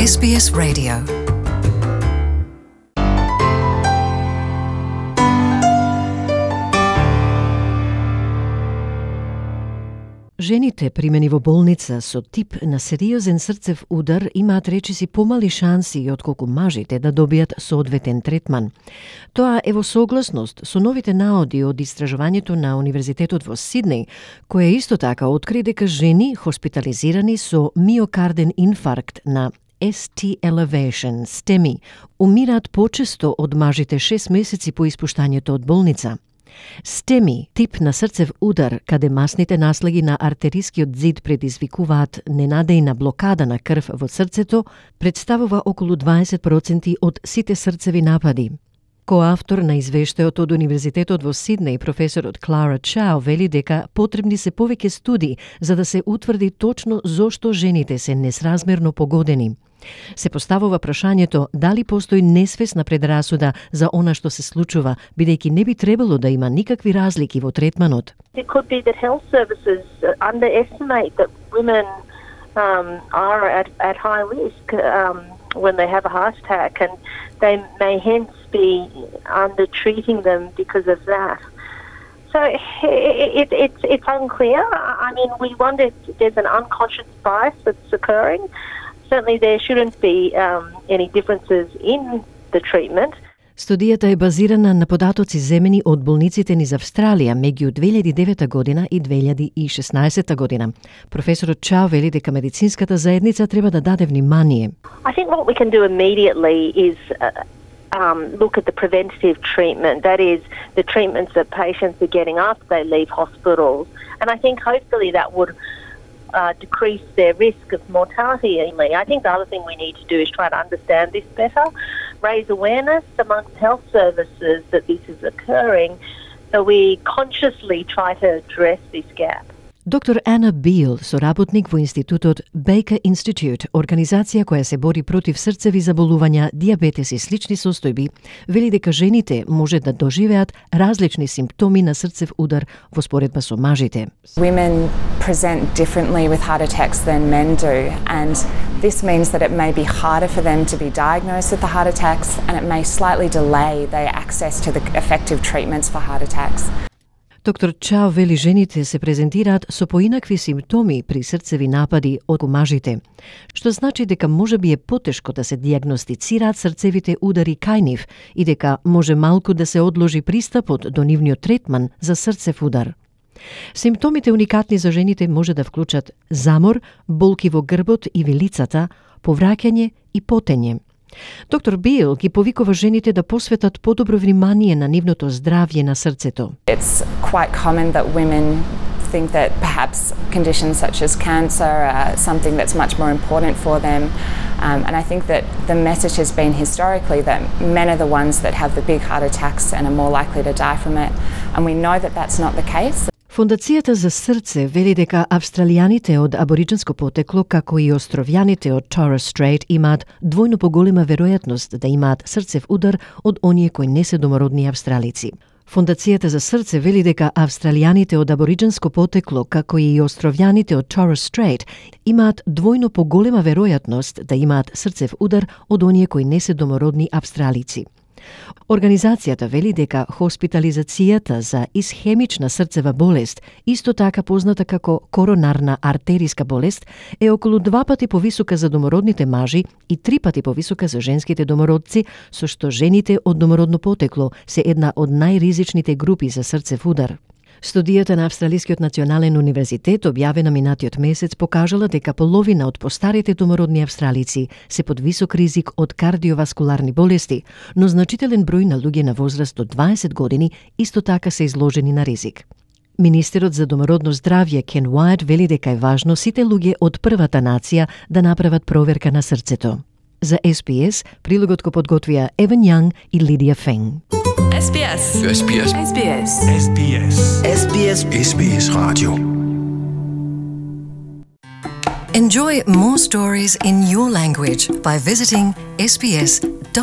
SBS Radio. Жените примени во болница со тип на сериозен срцев удар имаат речиси помали шанси отколку мажите да добијат соодветен третман. Тоа е во согласност со новите наоди од истражувањето на Универзитетот во Сиднеј, кое исто така откри дека жени хоспитализирани со миокарден инфаркт на ST elevation, STEMI, умираат почесто од мажите 6 месеци по испуштањето од болница. STEMI, тип на срцев удар, каде масните наслеги на артерискиот зид предизвикуваат ненадејна блокада на крв во срцето, представува околу 20% од сите срцеви напади. Коавтор на извештајот од Универзитетот во Сиднеј, професорот Клара Чао вели дека потребни се повеќе студии за да се утврди точно зошто жените се несразмерно погодени. Се поставува прашањето дали постои несвесна предрасуда за она што се случува, бидејќи не би требало да има никакви разлики во третманот. It could be that health services underestimate that women are at high risk when they have a heart attack, and they may hence be under-treating them because of that. So it's unclear. I mean, we wonder if there's an unconscious bias that's occurring. Certainly there shouldn't be any differences in the treatment. Студијата е базирана на податоци земени од болниците низ Австралија меѓу 2009 година и 2016 година. Професорот Чао вели дека медицинската заедница треба да даде внимание. I think what we can do immediately is look at the preventative treatment. That is the treatments that patients are getting after they leave hospitals. And I think hopefully that would decrease their risk of mortality. I think the other thing we need to do is try to understand this better, raise awareness amongst health services that this is occurring, so we consciously try to address this gap. Доктор Ана Бил, соработник во институтот Baker Institute, организација која се бори против срцеви заболувања, дијабетес и слични состојби, вели дека жените може да доживеат различни симптоми на срцев удар во споредба со мажите. Women present differently with heart attacks than men do, and this means that it may be harder for them to be diagnosed with the heart attacks, and it may slightly delay their access to the effective treatments for heart attacks. Доктор Чао вели жените се презентираат со поинакви симптоми при срцеви напади од мажите, што значи дека можеби е потешко да се дијагностицираат срцевите удари кај нив и дека може малку да се одложи пристапот до нивниот третман за срцев удар. Симптомите уникатни за жените може да вклучат замор, болки во грбот и вилицата, повраќање и потење. Доктор Бил ги повикува жените да посветат подобро внимание на нивното здравје на срцето. It's quite common that women think that perhaps conditions such as cancer are something that's much more important for them. And I think that the message has been historically that men are the ones that have the big heart attacks and are more likely to die from it. And we know that that's not the case. Фондацијата за срце вели дека австралијаните од абориџинско потекло, како и островјаните од Torres Strait, имаат двојно поголема веројатност да имаат срцев удар од оние кои не се домородни австралици. Фондацијата за срце вели дека австралијаните од абориџинско потекло, како и островјаните од Torres Strait, имаат двојно поголема веројатност да имаат срцев удар од оние кои не се домородни австралици. Организацијата вели дека хоспитализацијата за исхемична срцева болест, исто така позната како коронарна артериска болест, е околу 2 пати повисока за домородните мажи и 3 пати повисока за женските домородци, со што жените од домородно потекло се една од најризичните групи за срцев удар. Студијата на Австралискиот национален универзитет, објавена минатиот месец, покажала дека половина од постарите домородни австралици се под висок ризик од кардиоваскуларни болести, но значителен број на луѓе на возраст до 20 години исто така се изложени на ризик. Министерот за домородно здравје Кен Уајт вели дека е важно сите луѓе од првата нација да направат проверка на срцето. За SBS, прилогот го подготвија Еван Јанг и Лидија Фенг. SBS. SBS. SBS. SBS. SBS. SBS Radio. Enjoy more stories in your language by visiting sbs.com.au.